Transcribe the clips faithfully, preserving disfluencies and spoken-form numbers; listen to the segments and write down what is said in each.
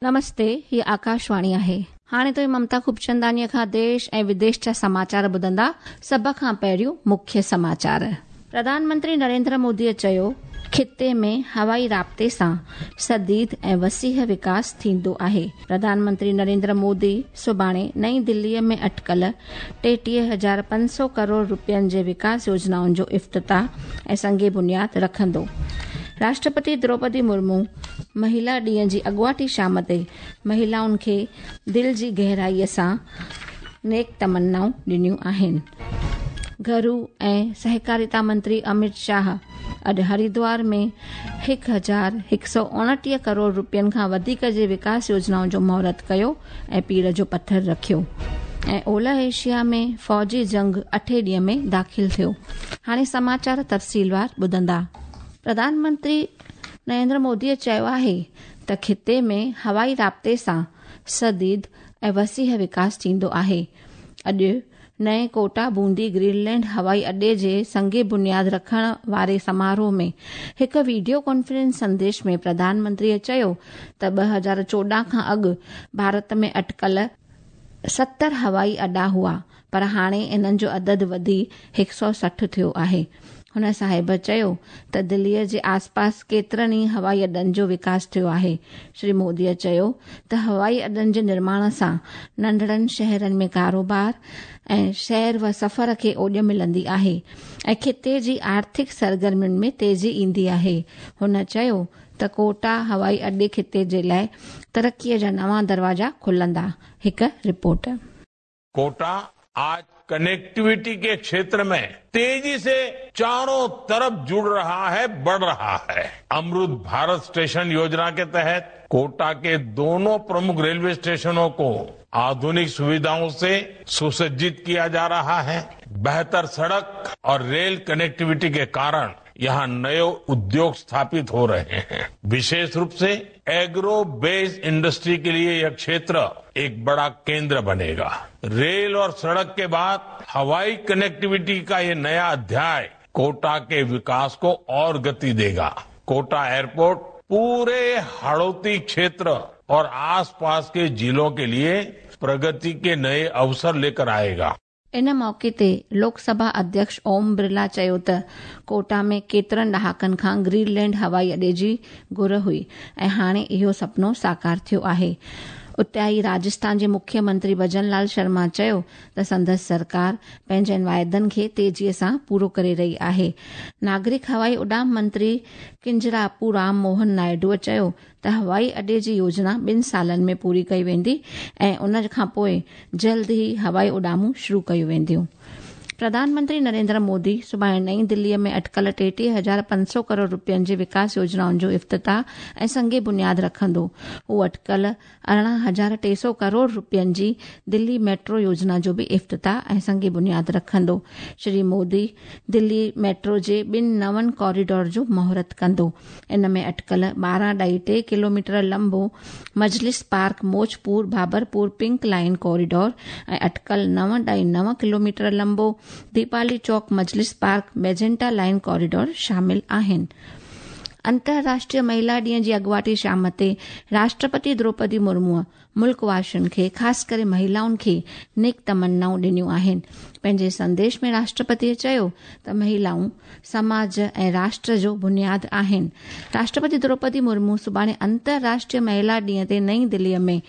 नमस्ते, ही आकाशवाणी आहे। हाणे तो ममता खूबचंदानीअ खां देश ऐं विदेश जा समाचार ॿुधंदा। सभ खां पहिरियों मुख्य समाचार। प्रधानमंत्री नरेंद्र मोदीअ चयो, खिते में हवाई राब्ते सां सदीद ऐं वसीह विकास थींदो आहे। प्रधानमंत्री नरेंद्र मोदी सुभाणे नई दिल्लीअ में अटकल टेटीह हज़ार पंज सौ करोड़ रुपयनि जे विकास योजनाउनि जो इफ्तिताह ऐं संग बुनियाद रखंदो। राष्ट्रपति द्रौपदी मुर्मू महिला ॾींहं जी अॻुवाटी शाम ते महिलाउनि खे दिलि जी गहराईअ सां नेक तमन्नाऊं ॾिनियूं आहिनि। घरू ऐं सहकारिता मंत्री अमित शाह अॼु हरिद्वार में हिकु हज़ार हिकु सौ उणिटीह करोड़ रुपयनि खां वधीक जे विकास योजनाउनि जो मुहूर्त कयो ऐं पीड़ जो पथर रखियो। ऐं ओलह एशिया में फ़ौजी जंग अठे ॾींहं में दाख़िल थियो। हाणे समाचार तफ़सीलवार ॿुधंदा। प्रधानमंत्री नरेंद्र मोदीअ चयो आहे त खिते में हवाई राब्ते सां सदीद ऐं वसीह विकास थींदो आहे। अॼु नए कोटा बूंदी ग्रीनलैंड हवाई अड्डे जे संग बुनियाद रखण वारे समारोह में हिकु वीडियो कॉन्फ्रेंस संदेश में प्रधानमंत्रीअ चयो त ॿ हज़ार चोॾहं खां अॻु भारत में अटकल सत्तर हवाई अड्डा हुआ, पर हाणे इन्हनि जो अदद वधी हिकु सौ सठि थियो आहे। हुन साहिब चयो त दिल्लीअ जे आसपास केतिरनि ई हवाई अड्डनि जो विकास थियो आहे। श्री मोदीअ चयो त हवाई अड्डनि जे निर्माण सां नंढड़नि शहरनि में कारोबार ऐं शहर व सफ़र खे ओॾ मिलंदी आहे ऐं खिते जी आर्थिक सरगर्मियुनि में तेज़ी ईंदी आहे। हुन चयो त कोटा हवाई अड्डे खिते जे लाइ तरक़ीअ जा नवां दरवाज़ा खुलंदा। हिकु रिपोर्ट। कोटा आज कनेक्टिविटी के क्षेत्र में तेजी से चारों तरफ जुड़ रहा है, बढ़ रहा है। अमृत भारत स्टेशन योजना के तहत कोटा के दोनों प्रमुख रेलवे स्टेशनों को आधुनिक सुविधाओं से सुसज्जित किया जा रहा है। बेहतर सड़क और रेल कनेक्टिविटी के कारण यहाँ नए उद्योग स्थापित हो रहे हैं। विशेष रूप से एग्रो बेस्ड इंडस्ट्री के लिए यह क्षेत्र एक बड़ा केंद्र बनेगा। रेल और सड़क के बाद हवाई कनेक्टिविटी का ये नया अध्याय कोटा के विकास को और गति देगा। कोटा एयरपोर्ट पूरे हाड़ौती क्षेत्र और आसपास के जिलों के लिए प्रगति के नए अवसर लेकर आएगा। इन मौक़े ते लोकसभा अध्यक्ष ओम बिरला चयो त कोटा में केतिरनि ॾहाकनि खां ग्रीनलैंड हवाई अड्डे जी घुर हुई ऐं हाणे इहो सपनो साकार थियो आहे। उते ई राजस्थान जे मुख्यमंत्री भजन लाल शर्मा चयो त संदसि सरकार पंहिंजनि वाइदनि खे तेज़ीअ सां पूरो करे रही आहे। नागरिक हवाई उॾाम मंत्री किंजरापू राम मोहन नायडूअ चयो त हवाई अड्डे जी योजना ॿिनि सालनि में पूरी कई वेंदी ऐं उन खां पोइ जल्द ई हवाई उॾामूं शुरू कयूं वेंदियूं। प्रधानमंत्री नरेंद्र मोदी सुभाणे नई दिल्लीअ में अटकल टेटीह हज़ार पंज सौ करोड़ रुपयनि जे विकास योजनाउनि जो इफ्तिताह ऐं संग बुनियाद रखंदो। हू अटकल अरिड़हं हज़ार टे सौ करोड़ रुपयनि जी दिल्ली मेट्रो योजना जो बि इफ्तिताह ऐं संग बुनियाद रखंदो। श्री मोदी दिल्ली मेट्रो जे ॿिनि नवनि कॉरिडोर जो मुहूर्त कंदो। इन में अटकल ॿारहं ॾाई टे किलोमीटर लंबो Majlis park Maujpur Babarpur pink line corridor ऐं अटकल नव ॾाई नव किलोमीटर लंबो Deepali Chowk Majlis park magenta line corridor शामिल आहिनि। अंतर्राष्ट्रीय महिला ॾींहं जी अॻुवाटी शाम ते राष्ट्रपति द्रौपदी मुर्मूअ मुल्क वासियुनि खे ख़ासि करे महिलाउनि खे नेक तमन्नाऊं ॾिनियूं आहिनि। पंहिंजे संदेश में राष्ट्रपतीअ चयो त महिलाऊं समाज ऐं राष्ट्र जो बुनियाद आहिनि। राष्ट्रपति द्रौपदी मुर्मू सुभाणे अंतर्राष्ट्रीय महिला ॾींहं ते नई दिल्लीअ में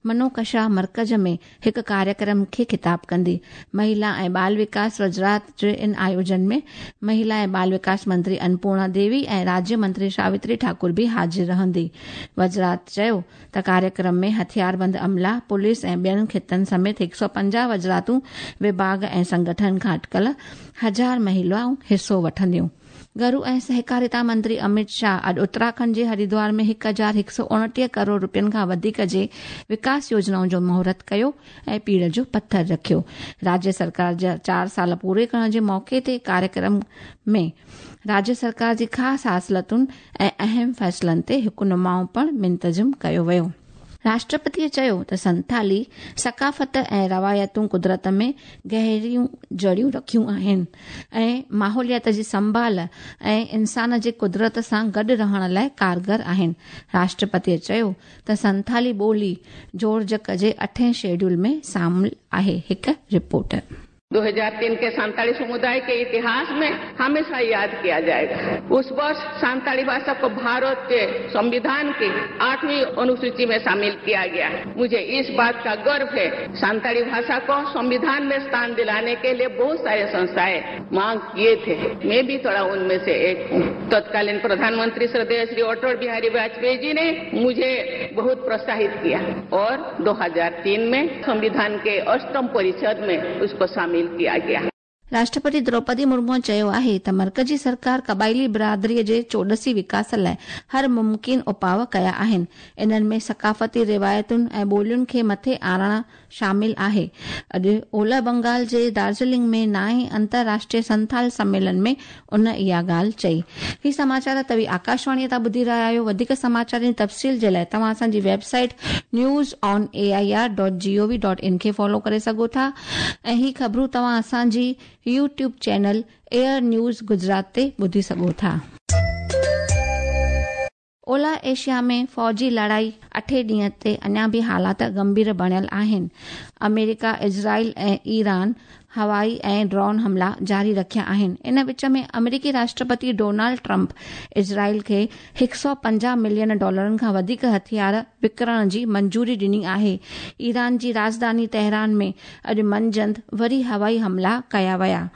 मनोकशा मर्कज़ में हिकु कार्यक्रम खे ख़िताब कंदी। महिला ऐं बाल विकास वज़ारत जे इन आयोजन में महिला ऐं बाल विकास मंत्री अन्नपूर्णा देवी ऐं राज्य मंत्री सावित्री ठाकुर बि हाज़िर रहंदी। वज़ारत चयो त कार्यक्रम में हथियारबंद अमला, पुलिस ऐं ॿियनि खितनि समेत हिकु सौ पंजाह वज़ारतूं, विभाग ऐं संगठन खां अटकल हज़ार महिलाऊं हिसो वठंदियूं। घरू ऐं सहकारिता मंत्री अमित शाह अॼु उत्तराखंड जे हरिद्वार में हिकु हज़ार हिकु सौ उणिटीह करोड़ रुपयनि खां वधीक जे विकास योजनाउनि जो मुहूर्त कयो ऐं पीड़ जो पथर रखियो। राज्य सरकार जा चारि साल पूरे करण जे मौक़े ते कार्यक्रम में राज्य सरकार जी ख़ासि हासिलतुनि ऐं अहम फ़ैसिलनि ते हिकु नुमाउ पिणु मुंतज़िम कयो वियो। راشٽرپتيءَ چيو ته سنٿالي ثقافت ۽ روايتون قدرت ۾ گهريون جڙيون رکيون آهن ۽ ماحوليات جي سنڀال ۽ انسان جي قدرت سان گڏ رهڻ لاءِ ڪارگر آهن. راشٽرپتيءَ چيو ته سنٿالي ٻولي جوڙجڪ جي اٺين شيڊول ۾ شامل آهي. هڪ رپورٽ. दो हज़ार तीन के संताली समुदाय के इतिहास में हमेशा याद किया जाएगा। उस वर्ष संताली भाषा को भारत के संविधान की आठवीं अनुसूची में शामिल किया गया। मुझे इस बात का गर्व है, संताली भाषा को संविधान में स्थान दिलाने के लिए बहुत सारे संस्थाएं मांग किए थे। मैं भी थोड़ा उनमें से एक हूँ। तत्कालीन प्रधानमंत्री श्रद्धेय श्री अटल बिहारी वाजपेयी जी ने मुझे बहुत प्रोत्साहित किया और दो हज़ार तीन में संविधान के अष्टम परिषद में उसको शामिल किया गया। राष्ट्रपति द्रौपदी मुर्मू चयो आहे त मर्कजी सरकार क़बाइली बिरादरीअ जे चौॾसी विकास लाइ हर मुमकिन उपाव कया आहिनि। इन्हनि में सकाफ़ती रिवायतुनि ऐं ॿोलियुनि खे मथे आणणु शामिल आहे। अॼु ओलह बंगाल जे दार्जिलिंग में नाइन अंतर्राष्ट्रीय संथाल सम्मेलन में उन इहा ॻाल्हि चई। ही समाचार तव्हीं आकाशवाणीअ तां ॿुधी रहिया आहियो। वधीक समाचार जी तफ़सील जे लाइ तव्हां असांजी website news on A I R dot G O V dot in खे फॉलो करे सघो था ऐं ही ख़बरूं तव्हां असांजी YouTube channel AIR news Gujarat ते ॿुधी सघो था। ओलह एशिया में फ़ौजी लड़ाई अठे ॾींहं ते अञा बि हालात गंभीर बणियल आहिनि। अमेरिका, इज़राइल ऐं ईरान हवाई ऐं ड्रोन हमला जारी रखिया आहिनि। इन विच में अमेरिकी राष्ट्रपति डोनाल्ड ट्रंप इज़राइल खे हिकु सौ पंजाह मिलियन डॉलरनि खां वधीक हथियार विकिणण जी मंजूरी ॾिनी आहे। ईरान जी राजधानी तेहरान में अॼु मंझंदि वरी हवाई हमला कया विया।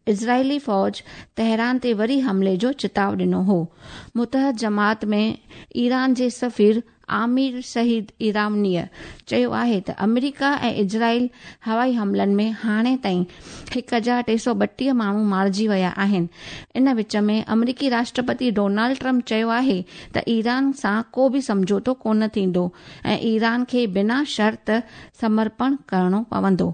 इज़राइली फ़ौज तेहरान ते वरी हमले जो चिताव ॾिनो हो। मुतहद जमात में ईरान जे सफ़ीर आमिर शहीद ईरानीअ चयो आहे त अमेरिका ऐं इज़राइल हवाई हमलनि में हाणे ताईं हिकु हज़ार टे सौ ॿटीह माण्हू मारिजी विया आहिनि। इन विच में अमेरिकी राष्ट्रपति डोनाल्ड ट्रंप चयो आहे त ईरान सां को बि सम्झौतो कोन थींदो ऐं ईरान खे बिना शर्त समर्पण करिणो पवंदो।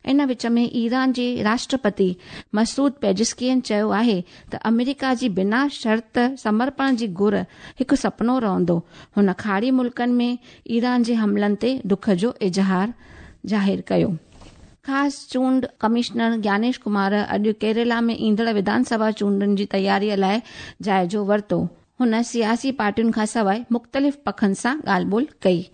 इन विच में ईरान जे राष्ट्रपति मसूद पेजिस्कियन चयो आहे त अमेरिका जी बिना शर्त समर्पण जी घुर हिकु सपनो रहंदो। हुन खाड़ी मुल्कनि में ईरान जे हमलनि ते दुख जो इज़हार ज़ाहिर कयो। ख़ासि चूंड कमिश्नर ज्ञानेश कुमार अॼु केरला में ईंदड़ विधानसभा चूंडुनि जी तयारीअ लाइ जाइज़ो वरितो। हुन सियासी पार्टियुनि खां सवाइ मुख़्तलिफ़ पखनि सां ॻाल्हि ॿोल कई।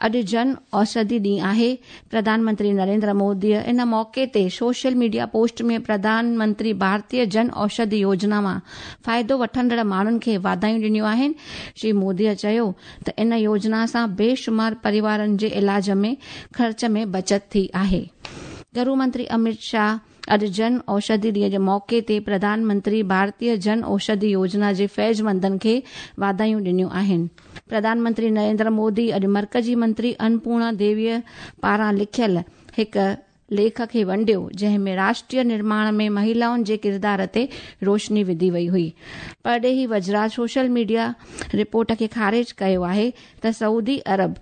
अॼु जन औषधि ॾींहुं आहे। प्रधानमंत्री नरेंद्र मोदीअ इन मौक़े ते सोशल मीडिया पोस्ट में प्रधानमंत्री भारतीय जन औषधि योजना मां फ़ाइदो वठंदड़ माण्हुनि खे वाधायूं ॾिनियूं आहिनि। श्री मोदीअ चयो त इन योजना सां बेशुमार परिवारनि जे इलाज में ख़र्च में बचत थी आहे। गृह मंत्री अमित शाह अॼु जन औषधि ॾींहं जे मौक़े ते प्रधानमंत्री भारतीय जन औषधि योजना जे फ़ैज़मंदनि खे वाधायूं ॾिनियूं आहिनि। प्रधानमंत्री नरेंद्र मोदी अॼु मर्कज़ी मंत्री अन्नपूर्णा देवीअ पारां लिखियल हिकु लेख खे वंडियो, जंहिं में राष्ट्रीय निर्माण में महिलाउनि जे किरदार ते रोशनी विधी वई हुई। परॾेही वज़रात सोशल मीडिया रिपोर्ट खे ख़ारिज कयो आहे त सऊदी अरब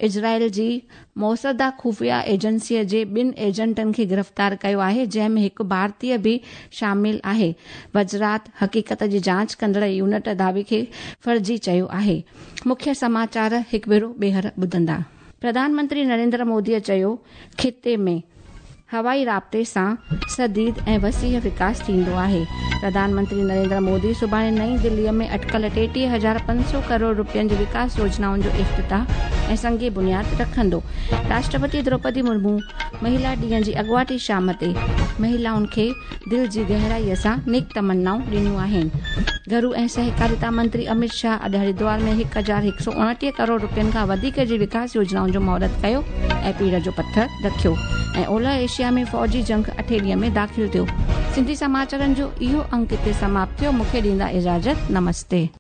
इज़राइल जी मौसदा ख़ुफ़िया एजेंसीअ जे ॿिनि एजेंटनि खे गिरफ़्तार कयो आहे, जंहिं में हिकु भारतीय बि शामिल आहे। वज़रात हक़ीक़त जी जांच कंदड़ यूनिट दावे खे फ़र्ज़ी चयो आहे। मुख्य समाचार हिकु भेरो ॿीहर ॿुधंदा। प्रधानमंत्री नरेंद्र मोदीअ चयो, ख़िते में हवाई राब्ते सां सदीद ऐं वसीह विकास थींदो आहे। प्रधानमंत्री नरेंद्र मोदी सुभाणे नई दिल्लीअ में अटकल टेटीह हज़ार पंज सौ करोड़ रुपयनि जी विकास योजनाउनि जो इफ़्तिताह ऐं संगे बुनियाद रखंदो। राष्ट्रपति द्रौपदी मुर्मू महिला ॾींहं जी अॻुवाटी शाम ते महिलाउनि खे दिलि जी गहराईअ सां नेक तमन्नाऊं ॾिनियूं आहिनि। घरू ऐं सहकारिता मंत्री अमित शाह अॼु हरिद्वार में हिकु हज़ार हिकु सौ उणिटीह करोड़ रुपयनि खां वधीक जी विकास योजनाउनि जो मुहूर्त कयो ऐं पीड़ जो पथर रखियो। ऐं ओलह एशिया में फ़ौजी जंग अठे ॾींहं में दाख़िल थियो। सिंधी समाचारनि जो इहो अंक हिते समाप्त थियो। मूंखे ॾींदा इजाज़त। नमस्ते।